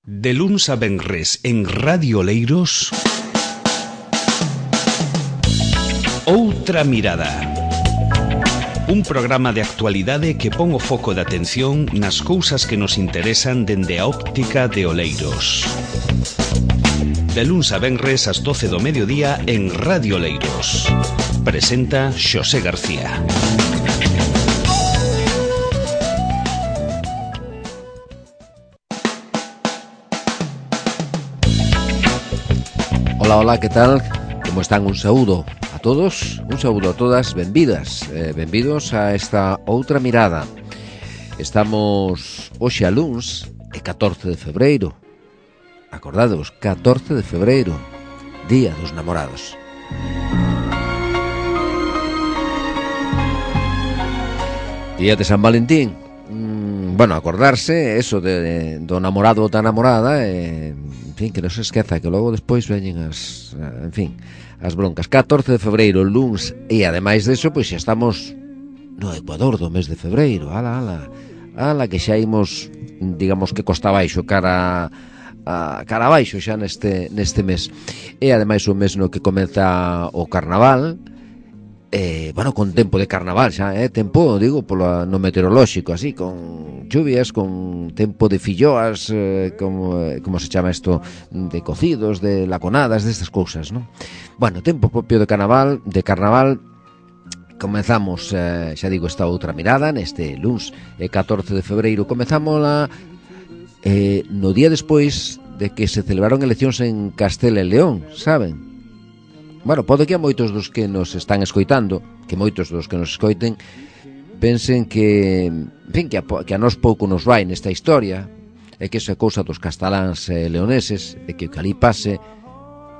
De luns a venres en Radio Oleiros, Outra Mirada. Un programa de actualidade que pon o foco de atención nas cousas que nos interesan dende a óptica de Oleiros. De luns a venres ás 12 do mediodía en Radio Oleiros. Presenta Xosé García. Hola, hola, que tal? Como están? Un saúdo a todos, un saúdo a todas, benvidas, benvidos a esta Outra Mirada. Estamos hoxe a luns, e 14 de febreiro. Acordadevos, 14 de febreiro, Día dos Namorados. Día de San Valentín. Bueno, acordarse, eso, do namorado ou da namorada, en fin, que non se esqueza, que logo despois veñen as broncas. 14 de febreiro, luns, e ademais deso, pois xa estamos no Ecuador do mes de febreiro. Ala, que xa imos, digamos que costa abaixo, cara abaixo xa neste mes. E ademais o mes no que comeza o carnaval, bueno, con tempo de carnaval xa, tempo, digo, no meteorolóxico, así, con lluvias, con tempo de filloas, como se chama isto, de cocidos, de laconadas, destas cousas, non? Bueno, tempo propio de carnaval, comezamos, xa digo, esta outra mirada, neste luns 14 de febreiro, comezámola no día despois de que se celebraron eleccións en Castela e León, saben? Bueno, pode que a moitos dos que nos están escoitando, que moitos dos que nos escoiten pensen que, en fin, que a nós pouco nos vai nesta historia, e que esa cousa dos casteláns e leoneses, e que o que ali pase,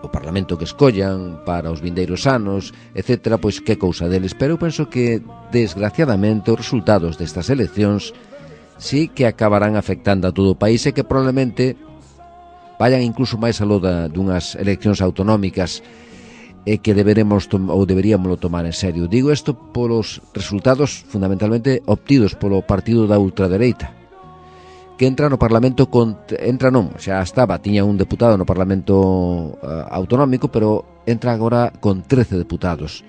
o Parlamento que escollan para os vindeiros anos, etc., pois que cousa deles. Pero eu penso que, desgraciadamente, os resultados destas eleccións sí que acabarán afectando a todo o país e que probablemente vayan incluso máis aló dunhas eleccións autonómicas e que deberíamos tomar en serio. Digo isto polos resultados fundamentalmente obtidos polo partido da ultradereita, que entra no Parlamento tiña un deputado no Parlamento autonómico, pero entra agora con 13 deputados,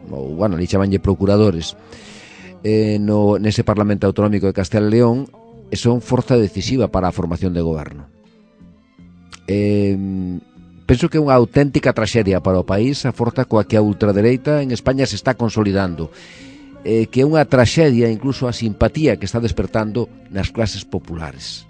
bueno, ali chamanlle procuradores, nese Parlamento autonómico de Castela e León, e son forza decisiva para a formación de goberno. Penso que é unha auténtica traxedia para o país a forza coa que a ultradereita en España se está consolidando, que é unha traxedia incluso a simpatía que está despertando nas clases populares.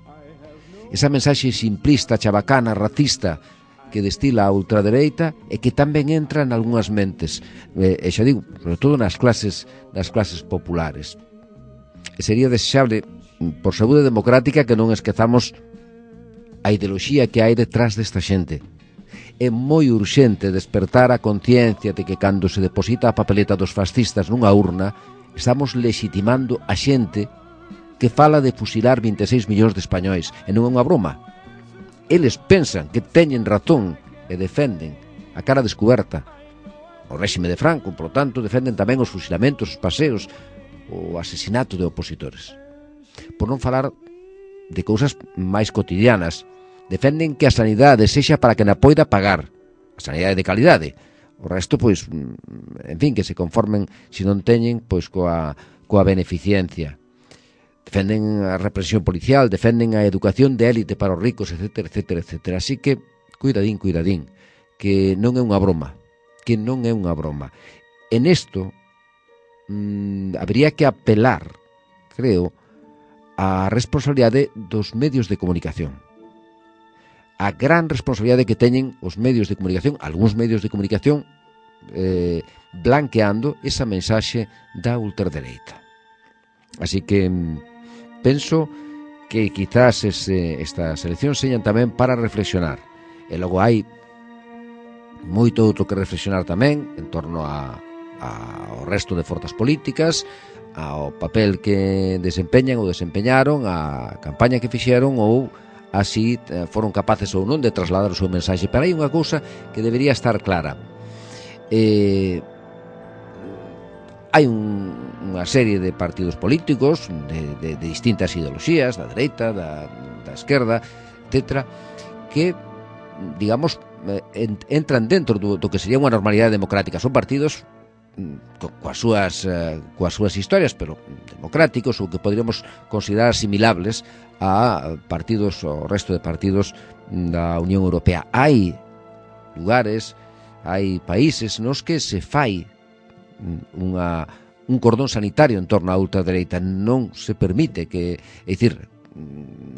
Esa mensaxe simplista, chabacana, racista que destila a ultradereita e que tamén entra en algunhas mentes, e xa digo, sobre todo nas clases populares. E sería desexable, por saúde democrática, que non esquezamos a ideoloxía que hai detrás desta xente. É moi urxente despertar a conciencia de que cando se deposita a papeleta dos fascistas nunha urna, estamos legitimando a xente que fala de fusilar 26 millóns de españois, e non é unha broma. Eles pensan que teñen razón e defenden a cara descuberta o réxime de Franco, por tanto defenden tamén os fusilamentos, os paseos, o asesinato de opositores. Por non falar de cousas máis cotidianas, defenden que a sanidade sexa para que na poida pagar, a sanidade de calidade. O resto, pois, en fin, que se conformen, se non teñen, pois coa beneficiencia. Defenden a represión policial, defenden a educación de élite para os ricos, etc. Así que, cuidadín, que non é unha broma, En isto, habría que apelar, creo, a responsabilidade dos medios de comunicación. A gran responsabilidade que teñen os medios de comunicación, algúns medios de comunicación, blanqueando esa mensaxe da ultradereita. Así que penso que quizás estas eleccións señan tamén para reflexionar. E logo hai moito outro que reflexionar tamén en torno ao resto de forzas políticas, ao papel que desempeñan ou desempeñaron, a campaña que fixeron ou así foron capaces ou non de trasladar o seu mensaxe. Pero hai unha cousa que debería estar clara. Hai unha serie de partidos políticos de distintas ideoloxías, da dereita, da esquerda, etc., que, digamos, entran dentro do que sería unha normalidade democrática. Son partidos coas súas historias, pero democráticos, ou que poderíamos considerar asimilables a partidos, o resto de partidos da Unión Europea. Hai lugares, hai países nos que se fai un cordón sanitario en torno á ultradereita. Non se permite que, é dicir,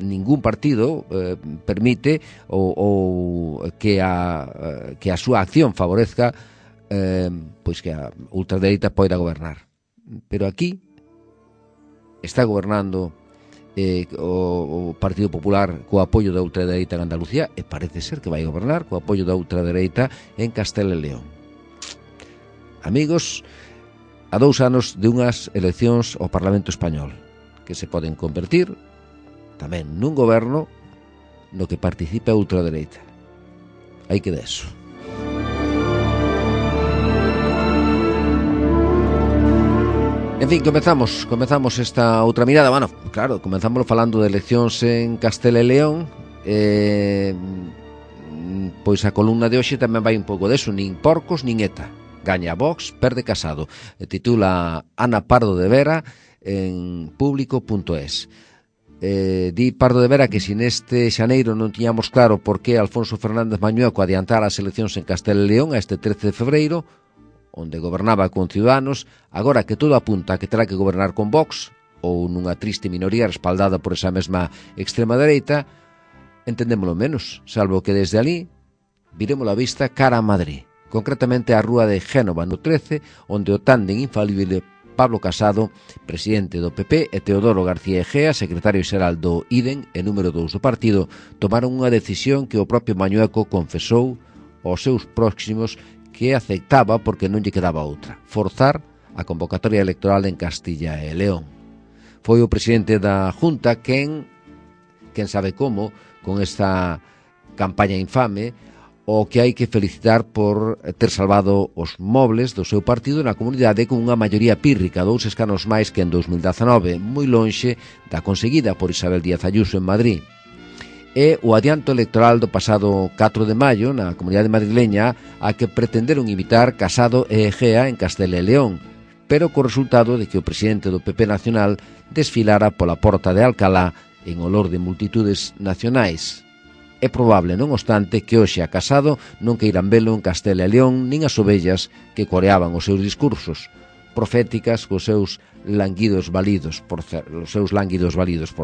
ningún partido permite ou que a súa acción favorezca pois que a ultradereita poida gobernar. Pero aquí está gobernando o Partido Popular co apoio da ultradereita en Andalucía, e parece ser que vai gobernar co apoio da ultradereita en Castela e León. Amigos, a 2 anos de unhas eleccións ao Parlamento Español que se poden convertir tamén nun goberno no que participe a ultradereita. Hai que deso. En fin, comezamos esta outra mirada. Bueno, claro, comezamos falando de eleccións en Castela e León. Pois a columna de hoxe tamén vai un pouco deso. Nin porcos, nin ETA. Gaña Vox, perde Casado. Titula Ana Pardo de Vera en público.es. Di Pardo de Vera que si neste xaneiro non tiñamos claro por que Alfonso Fernández Mañueco adiantara as eleccións en Castela e León a este 13 de febreiro, onde gobernaba con Ciudadanos, agora que todo apunta a que terá que gobernar con Vox, ou nunha triste minoría respaldada por esa mesma extrema dereita, entendémolo menos, salvo que desde ali viremos a vista cara a Madrid, concretamente á rúa de Génova no 13, onde o tándem infalible Pablo Casado, presidente do PP, e Teodoro García Egea, secretario xeral do IDEN e número 2 do partido, tomaron unha decisión que o propio Mañueco confesou aos seus próximos que aceptaba porque non lle quedaba outra: forzar a convocatoria electoral en Castilla e León. Foi o presidente da Junta quen sabe como, con esta campaña infame, o que hai que felicitar por ter salvado os mobles do seu partido na comunidade con unha maioría pírrica, 2 escanos máis que en 2019, moi lonxe da conseguida por Isabel Díaz Ayuso en Madrid. E o adianto electoral do pasado 4 de maio na comunidade madrileña a que pretenderon imitar Casado e Egea en Castela e León, pero co resultado de que o presidente do PP nacional desfilara pola porta de Alcalá en olor de multitudes nacionais. É probable, non obstante, que hoxe a Casado non queiran velo en Castela e León nin as ovellas que coreaban os seus discursos, proféticas cos seus lánguidos validos, por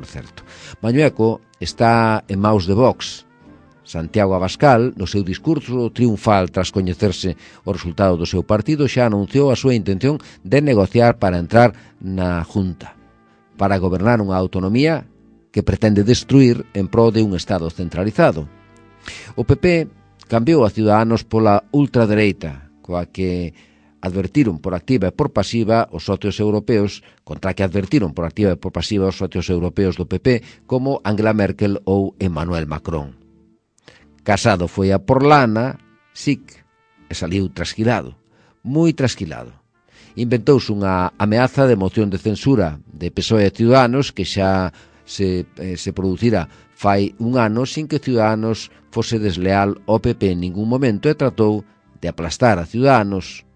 certo. Mañueco está en maus de Vox. Santiago Abascal, no seu discurso triunfal tras coñecerse o resultado do seu partido, xa anunciou a súa intención de negociar para entrar na Junta, para gobernar unha autonomía que pretende destruir en pro de un Estado centralizado. O PP cambiou a Ciudadanos pola ultradereita, coa que advertiron por activa e por pasiva os socios europeos, contra que advertiron por activa e por pasiva os socios europeos do PP como Angela Merkel ou Emmanuel Macron. Casado foi a por lana, SIC, e saliu trasquilado, moi trasquilado. Inventouse unha ameaza de moción de censura de PSOE e Ciudadanos que xa se producira fai un ano sin que Ciudadanos fose desleal ao PP en ningún momento e tratou de aplastar a Ciudadanos,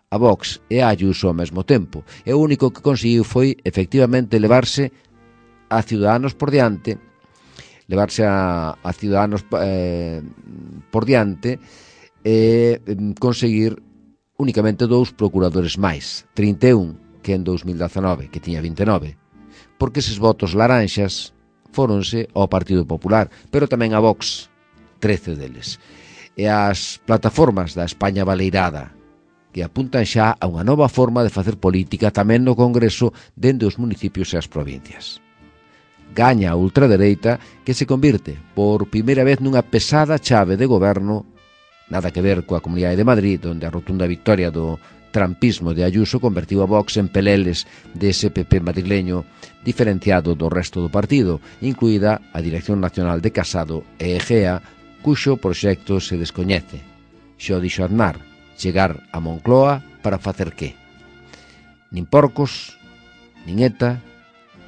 a Vox e a Ayuso ao mesmo tempo. E o único que conseguiu foi, efectivamente, levarse a Ciudadanos por diante, e conseguir únicamente 2 procuradores máis, 31 que en 2019, que tiña 29, porque eses votos laranxas fóronse ao Partido Popular, pero tamén a Vox, 13 deles. E as plataformas da España baleirada, que apuntan xa a unha nova forma de facer política tamén no Congreso dende os municipios e as provincias. Gaña a ultradereita que se convirte por primeira vez nunha pesada chave de goberno, nada que ver coa Comunidade de Madrid, onde a rotunda victoria do trampismo de Ayuso convertiu a Vox en peleles dese PP madrileño diferenciado do resto do partido, incluída a Dirección Nacional de Casado e Egea, cuxo proxecto se descoñece. Xo dixo Aznar, chegar a Moncloa para facer que? Nin porcos, nin ETA,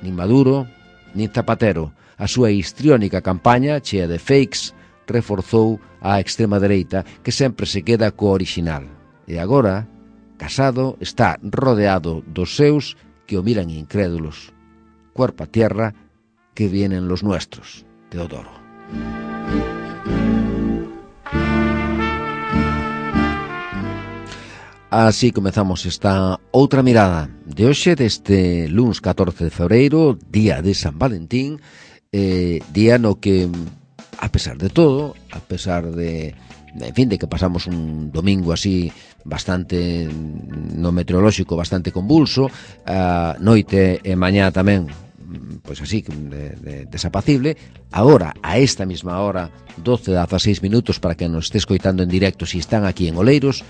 nin Maduro, nin Zapatero. a súa histriónica campaña, chea de fakes, reforzou a extrema dereita, que sempre se queda co original. E agora, Casado está rodeado dos seus que o miran incrédulos. Cuerpo a tierra, que vienen los nuestros. Teodoro. Así comezamos esta outra mirada de hoxe, deste luns 14 de febreiro, día de San Valentín, día no que, a pesar de todo, a pesar de, en fin, de que pasamos un domingo así bastante, no meteorolóxico, bastante convulso, noite e mañá tamén, pois así, desapacible, agora, a esta mesma hora, 12:16 minutos, para que nos esté escoitando en directo, si están aquí en Oleiros,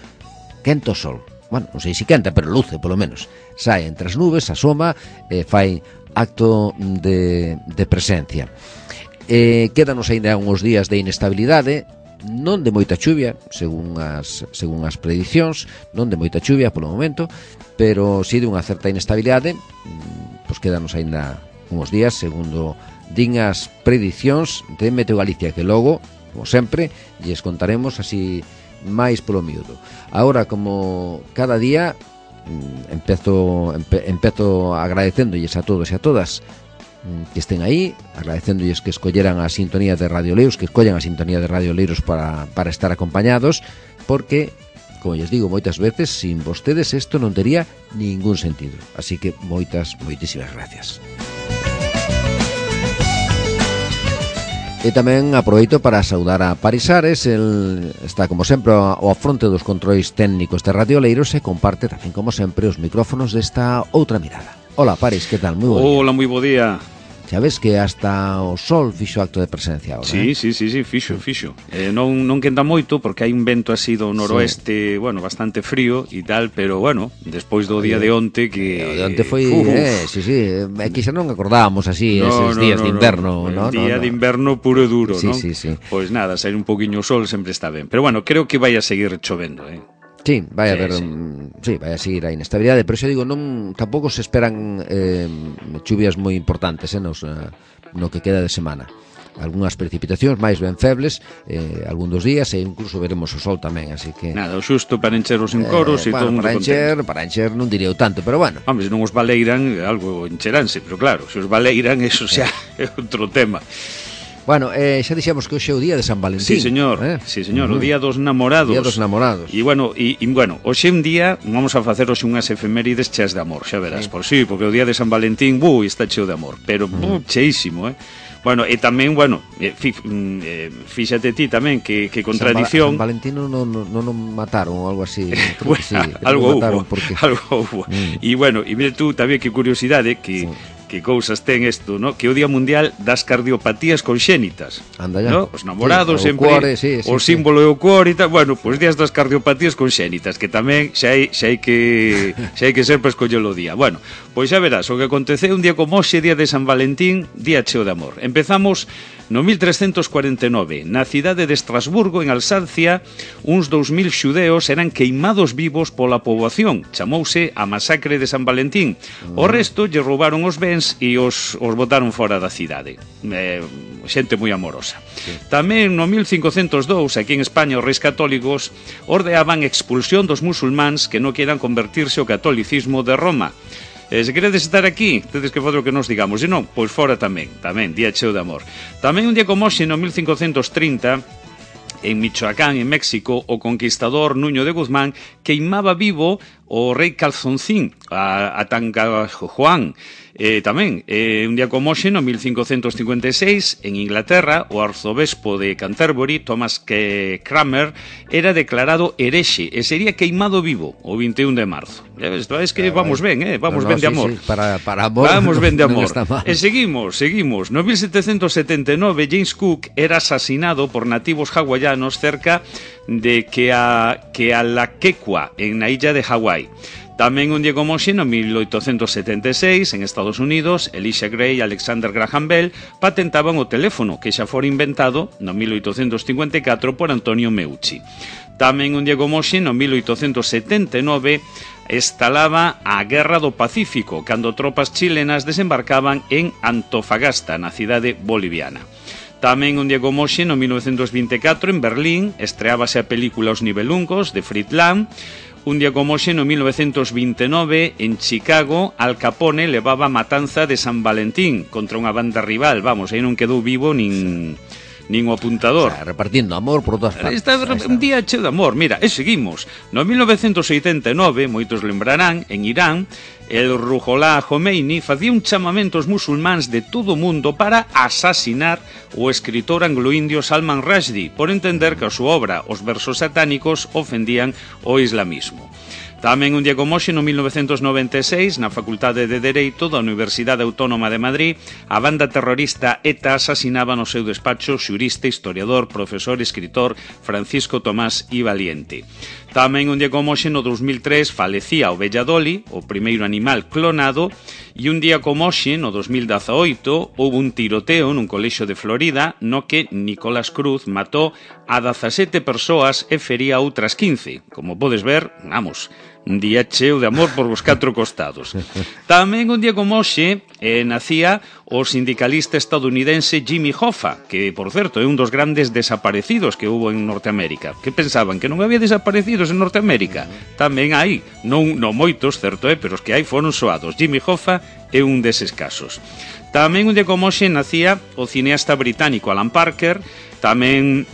quenta o sol. Bueno, non sei se quenta, pero luce, polo menos. Sae entre as nubes, asoma, fai acto de presencia. Quédanos ainda uns días de inestabilidade, non de moita chuvia, según as predicións, non de moita chuvia polo momento, pero si de unha certa inestabilidade, pois quédanos ainda uns días, segundo din as predicións de Meteo Galicia, que logo, como sempre, lles contaremos así máis polo miúdo. Agora, como cada día, empezo agradecéndolles a todos e a todas que estén aí, agradecéndolles que escolleran a sintonía de Radio Oleiros, que escollan a sintonía de Radio Oleiros para estar acompañados, porque, como lles digo moitas veces, sin vostedes isto non tería ningún sentido. Así que moitísimas gracias. E tamén aproveito para saudar a Paris Ares. El está, como sempre, ao afronte dos controis técnicos de Radio Oleiros e comparte tamén, como sempre, os micrófonos desta outra mirada. Hola, Paris, que tal? Moi bo día. Hola, moi bo día. Xa ves que hasta o sol fixo acto de presencia agora, Sí, fixo. Non quenta moito porque hai un vento así do noroeste, sí, bueno, bastante frío e tal, pero bueno, despois do día de onte que... O de onte foi, que xa non acordábamos así eses días de inverno, ¿no? Día de inverno puro e duro, sí, ¿no? Sí. Pois nada, sair un poquinho o sol sempre está ben. Pero bueno, creo que vai a seguir chovendo, Sí, vai a haber, sí, vai a seguir a inestabilidade, pero xa digo, non tampouco se esperan chuvias moi importantes no que queda de semana. Algúnas precipitacións máis ben febles, algún dos días, e incluso veremos o sol tamén, así que... Nada, o xusto para encher os encoros e todo o mundo contento. Para encher non diría tanto, pero bueno. Hombre, se non os baleiran, algo encheranse, pero claro, se os baleiran, eso xa é outro tema. Bueno, xa dixemos que hoxe é o día de San Valentín. Sí, señor, o día dos namorados. Día dos namorados. E bueno, hoxe un día vamos a facer hoxe unhas efemérides cheas de amor, xa verás, porque o día de San Valentín, está cheo de amor, pero cheísimo, Bueno, e tamén, fíxate ti tamén que contradición... San Valentín non mataron ou algo así. Bueno, sí, algo hubo. E bueno, e mire tú tamén que curiosidade que... Sí. Que cousas ten isto, ¿no? Que o Día Mundial das Cardiopatías Conxénitas. Anda ya. ¿No? Os namorados sí, sempre cuore, o símbolo é o cuore e tal. Bueno, pois días das cardiopatías conxénitas, que tamén xa hai que ser para escollelo o día. Bueno, pois xa verás, o que aconteceu un día como hoxe, día de San Valentín, día cheo de amor. Empezamos no 1349, na cidade de Estrasburgo, en Alsacia, uns 2000 xudeos eran queimados vivos pola poboación. Chamouse a masacre de San Valentín. O resto lle roubaron os bens e os botaron fora da cidade. Xente moi amorosa. Sí. Tamén no 1502, aquí en España, os reis católicos ordeaban expulsión dos musulmáns que non quieran convertirse ao catolicismo de Roma. Se queredes estar aquí, tedes que fazer o que nos digamos. E non, pois fora tamén, día cheo de amor. Tamén un día como hoxe, no 1530, en Michoacán, en México, o conquistador Nuño de Guzmán queimaba vivo o rei Calzoncín, a Tangajuan. Tamén, un día como hoxe, no 1556, en Inglaterra, o arzobispo de Canterbury, Thomas Cranmer, era declarado herexe e sería queimado vivo o 21 de marzo. Es que vamos ben, vamos ben de amor. Sí, para amor. Vamos ben de amor. E seguimos. No 1779, James Cook era asesinado por nativos hawaianos cerca de Kealakekua, en la illa de Hawái. Tamén un día como hoxe, no 1876, en Estados Unidos, Elisha Gray e Alexander Graham Bell patentaban o teléfono, que xa fora inventado no 1854 por Antonio Meucci. Tamén un día como hoxe, no 1879, estalaba a Guerra do Pacífico, cando tropas chilenas desembarcaban en Antofagasta, na cidade boliviana. Tamén un día como hoxe, no 1924, en Berlín, estreábase a película Os Nibelungos, de Fritz Lang. Un día como hoxe, no 1929, en Chicago, Al Capone levaba a matanza de San Valentín contra unha banda rival. Vamos, aí non quedou vivo nin o apuntador. O sea, repartindo amor por todas partes. Está un día cheo de amor. Mira, e seguimos. No 1989, moitos lembrarán, en Irán, el Ruhollah Khomeini facía un chamamento aos musulmáns de todo o mundo para asasinar o escritor anglo-indio Salman Rushdie por entender que a súa obra, os versos satánicos, ofendían o islamismo. Tamén un día como hoxe, no 1996, na Facultade de Dereito da Universidade Autónoma de Madrid, a banda terrorista ETA asasinaba no seu despacho xurista, historiador, profesor e escritor Francisco Tomás I Valiente. Tamén un día como hoxe, no 2003, falecía o Belladoli, o primeiro animal clonado, e un día como hoxe, no 2018, houve un tiroteo nun colexio de Florida no que Nicolás Cruz matou a 17 persoas e fería a outras 15. Como podes ver, vamos, un día cheo de amor por os 4 costados. Tamén un día como hoxe nacía o sindicalista estadounidense Jimmy Hoffa, que, por certo, é un dos grandes desaparecidos que hubo en Norteamérica. Que pensaban? Que non había desaparecidos en Norteamérica? Tamén hai, non moitos, certo pero os que hai foron soados. Jimmy Hoffa é un deses casos. Tamén un día como hoxe nacía o cineasta británico Alan Parker. Tamén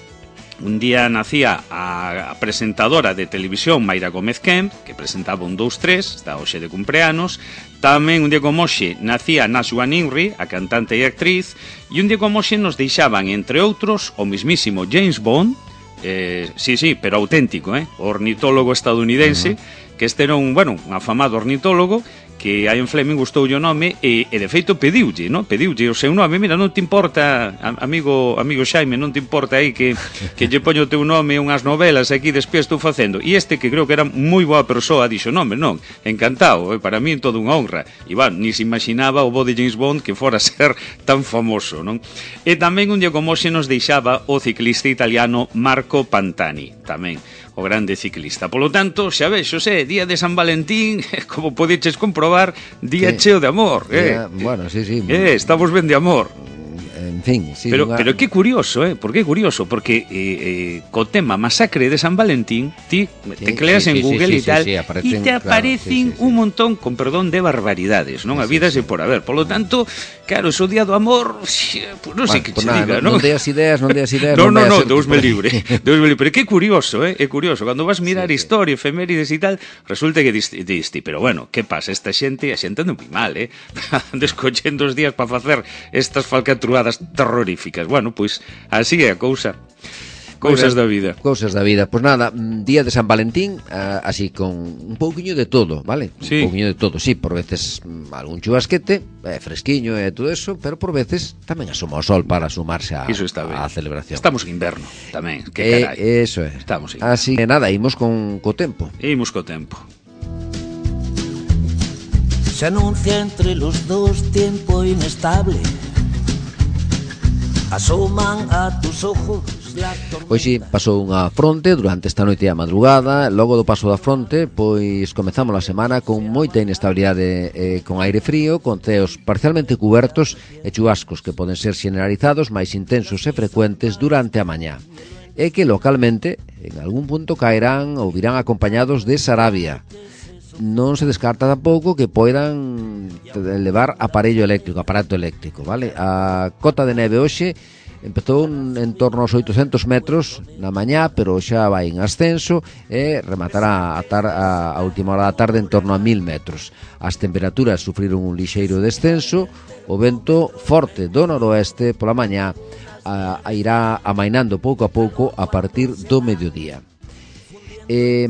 un día nacía a presentadora de televisión Mayra Gómez Kemp, que presentaba un 2-3, está hoxe de cumpleanos. Tamén un día como hoxe nacía Nashwa Nimri, a cantante e actriz. E un día como hoxe nos deixaban, entre outros, o mismísimo James Bond, sí, pero auténtico, o ornitólogo estadounidense, que este era un afamado ornitólogo, que a en Fleming gustoulle o nome e de feito pediulle o seu nome. Mira, non te importa, amigo Xaime, non te importa aí que lle poño o teu nome unhas novelas aquí despois estou facendo. E este, que creo que era moi boa persoa, dixo, non, encantado, para mí toda unha honra. E ni se imaginaba o bo de James Bond que fora ser tan famoso, non? E tamén un día como hoxe nos deixaba o ciclista italiano Marco Pantani, tamén o grande ciclista. Polo tanto, xa ves, Xosé, día de San Valentín, como podeches comprobar, día cheo de amor. Bueno, sí. Estamos ben de amor. En fin, sí. Pero que curioso, porque co tema masacre de San Valentín, ti tecleas en Google e tal, e te aparecen un montón, con perdón, de barbaridades, non? A vida se por haber. Polo tanto, claro, o día do amor, pues non sei que che diga, non? Non deas ideas. Non, Deus me libre. Pero que curioso, é curioso. Cando vas mirar historia, efemérides e tal, resulta que diste, pero bueno, que pasa? A xente non vi mal, descollendo os días para facer estas falcatruadas terroríficas. Bueno, pois así é a cousa. Cousas da vida. Cousas da vida. Pois nada, día de San Valentín, así con un pouquiño de todo, vale? Sí. Un pouquiño de todo, sí, por veces algún chubasquete, fresquiño e todo eso, pero por veces tamén asoma o sol para sumarse á celebración. Estamos en inverno tamén, que carai. Eso é. Estamos en así que nada, imos co tempo. Se anuncia entre los dos tiempo inestable. Asoman a tus ojos. Hoxe pasou unha fronte durante esta noite e a madrugada. Logo do paso da fronte, pois comezamos a semana con moita inestabilidade, con aire frío, con ceos parcialmente cubertos e chubascos que poden ser generalizados, máis intensos e frecuentes durante a mañá, e que localmente en algún punto caerán ou virán acompañados de sarabia. Non se descarta tampouco que poidan levar aparato eléctrico, vale? A cota de neve hoxe empezou en torno aos 800 metros na mañá, pero xa vai en ascenso e rematará a última hora da tarde en torno a 1000 metros. As temperaturas sufriron un lixeiro descenso, o vento forte do noroeste pola mañá irá amainando pouco a pouco a partir do mediodía.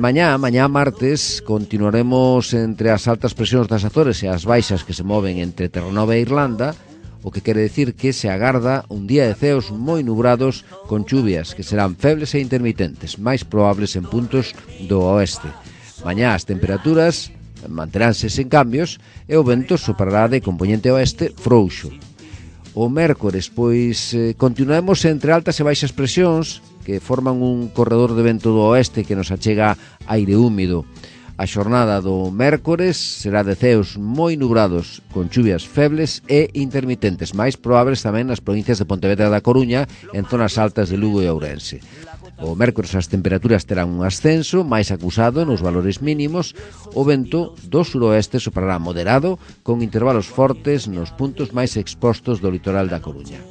Mañá martes continuaremos entre as altas presións das Azores e as baixas que se moven entre Terranova e Irlanda, o que quere decir que se agarda un día de ceos moi nubrados con chuvias que serán febles e intermitentes, máis probables en puntos do oeste. Mañá as temperaturas manteránse sen cambios e o vento soprará de componente oeste frouxo. O mércores, pois, continuamos entre altas e baixas presións que forman un corredor de vento do oeste que nos achega aire húmido. A xornada do mércores será de ceos moi nubrados, con chuvias febles e intermitentes, máis probables tamén nas provincias de Pontevedra e da Coruña, en zonas altas de Lugo e Ourense. O mércores as temperaturas terán un ascenso máis acusado nos valores mínimos. O vento do suroeste soprará moderado, con intervalos fortes nos puntos máis expostos do litoral da Coruña.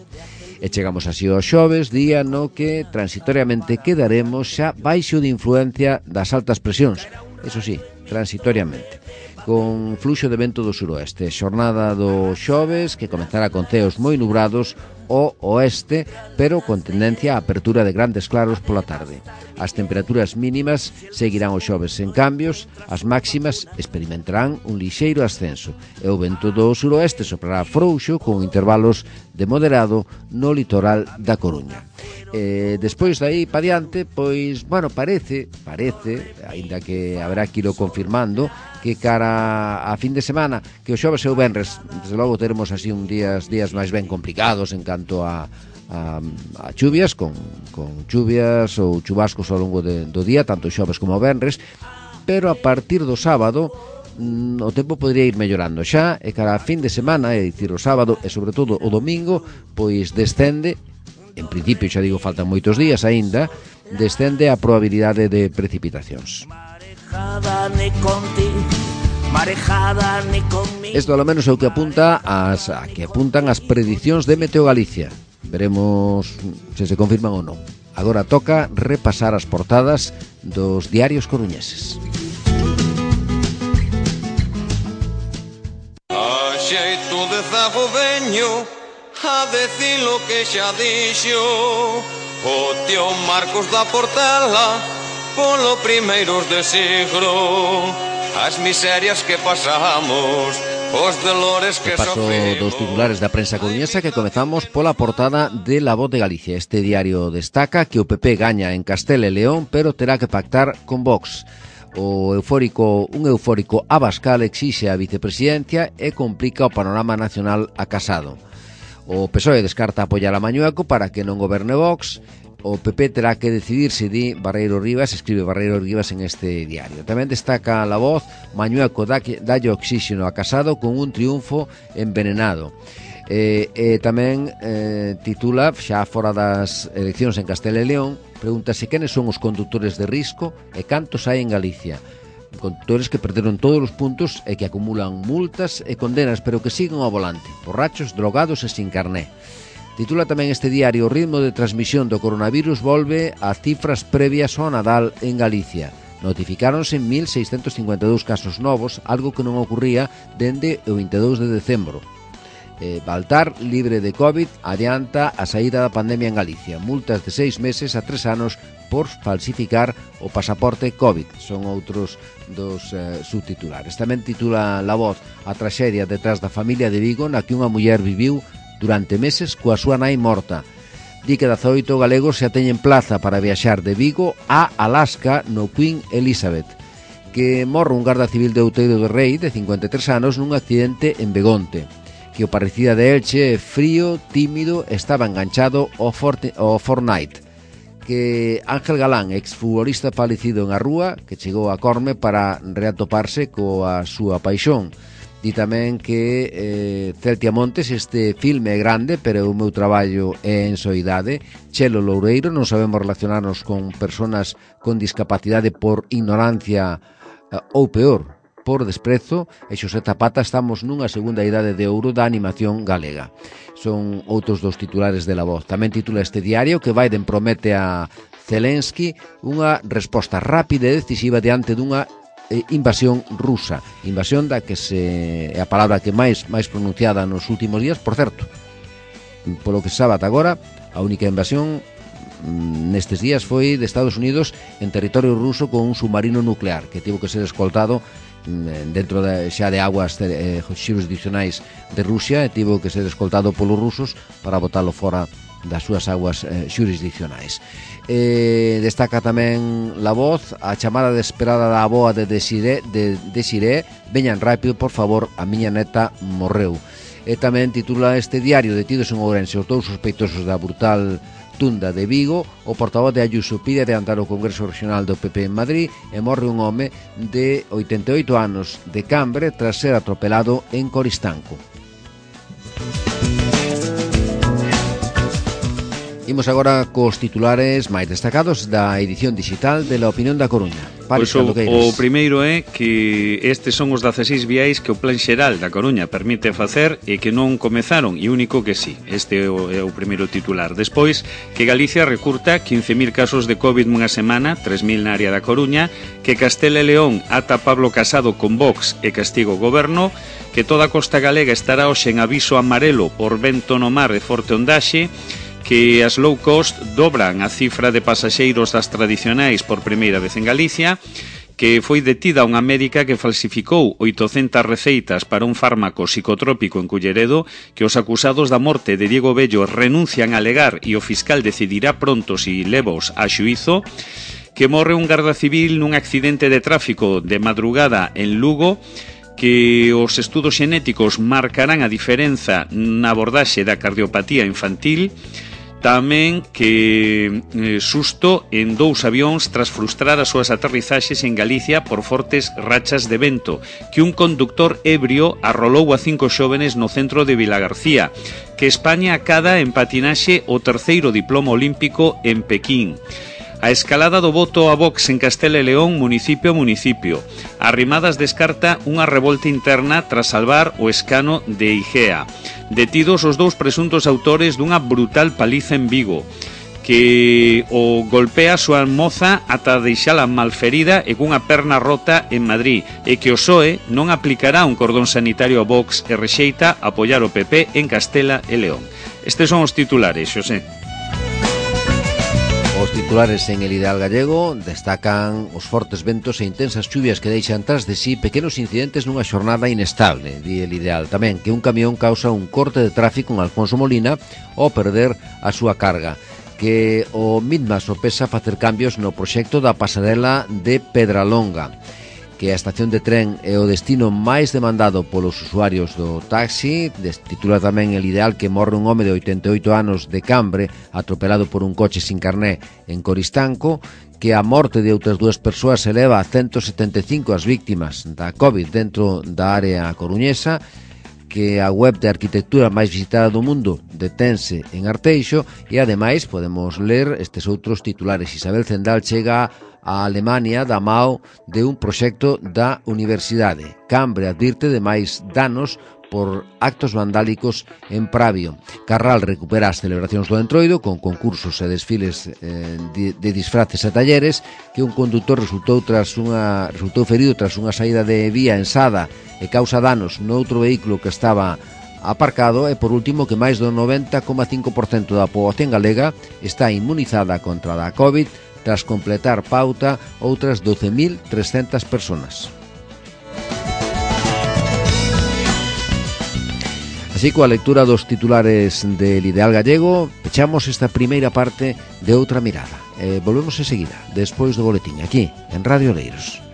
E chegamos así ao xoves, día no que transitoriamente quedaremos xa baixo de influencia das altas presións, eso sí, transitoriamente, con fluxo de vento do suroeste. Xornada do xoves que comezará con ceos moi nubrados ao oeste, pero con tendencia a apertura de grandes claros pola tarde. As temperaturas mínimas seguirán o xoves sen cambios, as máximas experimentarán un lixeiro ascenso e o vento do suroeste soprará frouxo con intervalos de moderado no litoral da Coruña. Despois dai pa diante, pois, bueno, parece, aínda que haberá que ilo confirmando, que cara a fin de semana, que o xoves e o venres, desde logo teremos así un días máis ben complicados en canto a chuvias, con chuvias ou chubascos ao longo do día, tanto o xoves como o venres, pero a partir do sábado o tempo podría ir mellorando xa, e cara a fin de semana, é dicir, o sábado e sobre todo o domingo, pois descende. En principio, xa digo, faltan moitos días aínda, descende a probabilidade de precipitacións. Isto ao menos é o que apuntan as predicións de Meteo Galicia. Veremos se confirman ou non. Agora toca repasar as portadas dos diarios coruñeses. A xeito de zago veño a decir lo que xa dixo o tío Marcos da Portela polo primeiros de siglo, as miserias que pasamos, os dolores que sofrimos. Dos titulares da prensa coruñesa, que comezamos pola portada de La Voz de Galicia. Este diario destaca que o PP gaña en Castela e León, pero terá que pactar con Vox. Un eufórico Abascal exixe a vicepresidencia e complica o panorama nacional a Casado. O PSOE descarta apoiar a Mañueco para que non goberne Vox. O PP terá que decidir se di Barreiro Rivas, escribe Barreiro Rivas en este diario. Tamén destaca La Voz, Mañueco dalle oxígeno a Casado con un triunfo envenenado. Tamén titula, xa fora das eleccións en Castela e León, pregúntase quenes son os condutores de risco e cantos hai en Galicia. Conductores que perderon todos os puntos e que acumulan multas e condenas, pero que siguen ao volante, borrachos, drogados e sin carné. Titula tamén este diario: o ritmo de transmisión do coronavirus volve a cifras previas ao Nadal en Galicia. Notificáronse 1.652 casos novos, algo que non ocurría dende o 22 de decembro. Baltar, libre de COVID, adianta a saída da pandemia en Galicia. Multas de 6 meses a 3 anos por falsificar o pasaporte COVID. Son outros dos subtitulares. Tamén titula La Voz a traxedia detrás da familia de Vigo, na que unha muller viviu durante meses coa súa nai morta. Di que 18 galegos xa teñen plaza para viaxar de Vigo a Alaska no Queen Elizabeth. Que morre un garda civil de Outeiro do Rei de 53 anos nun accidente en Begonte. Que o parecida de Elche, frío, tímido, estaba enganchado ao Fortnite. Que Ángel Galán, exfutbolista falecido en a Rúa, que chegou a Corme para reatoparse coa súa paixón. Di tamén que Celtia Montes, este filme é grande, pero o meu traballo é en soidade. Chelo Loureiro, non sabemos relacionarnos con persoas con discapacidade por ignorancia ou peor, por desprezo, e Xosé Zapata, estamos nunha segunda idade de ouro da animación galega. Son outros dos titulares de La Voz. Tamén titula este diario que Biden promete a Zelensky unha resposta rápida e decisiva diante dunha invasión rusa. Invasión da que é a palabra que máis pronunciada nos últimos días. Por certo, polo que se sabe ata agora, a única invasión nestes días foi de Estados Unidos en territorio ruso con un submarino nuclear que tivo que ser escoltado dentro xa de aguas xurisdiccionais de Rusia, e tivo que ser escoltado polos rusos para botalo fora das súas aguas xurisdiccionais. Destaca tamén La Voz a chamada desesperada da avoa de Desiré: veñan rápido, por favor, a miña neta morreu. E tamén titula este diario: detidos en Ourense os 2 sospeitosos da brutal rotunda de Vigo, o portavoz de Ayuso pide adiantar o Congreso Regional do PP en Madrid e morre un home de 88 anos de Cambre tras ser atropelado en Coristanco. Imos agora cos titulares máis destacados da edición digital de La Opinión da Coruña. Pois o primeiro é que estes son os 16 viais que o Plan Xeral da Coruña permite facer e que non comezaron, e único que sí. Este é o primeiro titular. Despois, que Galicia recurta 15.000 casos de COVID nunha semana, 3.000 na área da Coruña, que Castela e León ata Pablo Casado con Vox e castigo o goberno, que toda a costa galega estará hoxe en aviso amarelo por vento no mar e forte ondaxe, que as low cost dobran a cifra de pasaxeiros das tradicionais por primeira vez en Galicia, que foi detida unha médica que falsificou 800 receitas para un fármaco psicotrópico en Culleredo, que os acusados da morte de Diego Bello renuncian a alegar e o fiscal decidirá pronto si levos a xuízo, que morre un garda civil nun accidente de tráfico de madrugada en Lugo, que os estudos xenéticos marcarán a diferenza na abordaxe da cardiopatía infantil. Tamén que susto en 2 avións tras frustrar as súas aterrizaxes en Galicia por fortes rachas de vento, que un conductor ebrio arrolou a 5 xóvenes no centro de Vilagarcía, que España acada en patinaxe o 3º diploma olímpico en Pequín. A escalada do voto a Vox en Castela e León, municipio a municipio. Arrimadas descarta unha revolta interna tras salvar o escano de Igea. Detidos os 2 presuntos autores dunha brutal paliza en Vigo, que o golpea a súa moza ata deixala malferida e cunha perna rota en Madrid, e que o PSOE non aplicará un cordón sanitario a Vox e rexeita apoiar o PP en Castela e León. Estes son os titulares, Xosé. Os titulares en El Ideal Gallego destacan os fortes ventos e intensas chuvias que deixan tras de sí pequenos incidentes nunha xornada inestable. Di El Ideal tamén que un camión causa un corte de tráfico en Alfonso Molina ao perder a súa carga, que o Midma sopesa facer cambios no proxecto da pasarela de Pedralonga, que a estación de tren é o destino máis demandado polos usuarios do taxi. Titula tamén El Ideal que morre un home de 88 anos de Cambre atropelado por un coche sin carné en Coristanco, que a morte de outras 2 persoas eleva a 175 as víctimas da COVID dentro da área coruñesa, que a web de arquitectura máis visitada do mundo detense en Arteixo, e ademais podemos ler estes outros titulares. Isabel Zendal chega a Alemania da mao de un proxecto da universidade. Cambre advirte de máis danos por actos vandálicos en Pravio. Carral recupera as celebracións do Entroido con concursos e desfiles de disfraces e talleres, que un condutor resultou ferido tras unha saída de vía en Sada e causa danos noutro vehículo que estaba aparcado. E por último que máis do 90,5% da poboación galega está inmunizada contra a COVID tras completar pauta outras 12.300 personas. Así, coa lectura dos titulares del Ideal Gallego, pechamos esta primeira parte de Outra Mirada. Volvemos enseguida, despois do boletín, aquí, en Radio Oleiros.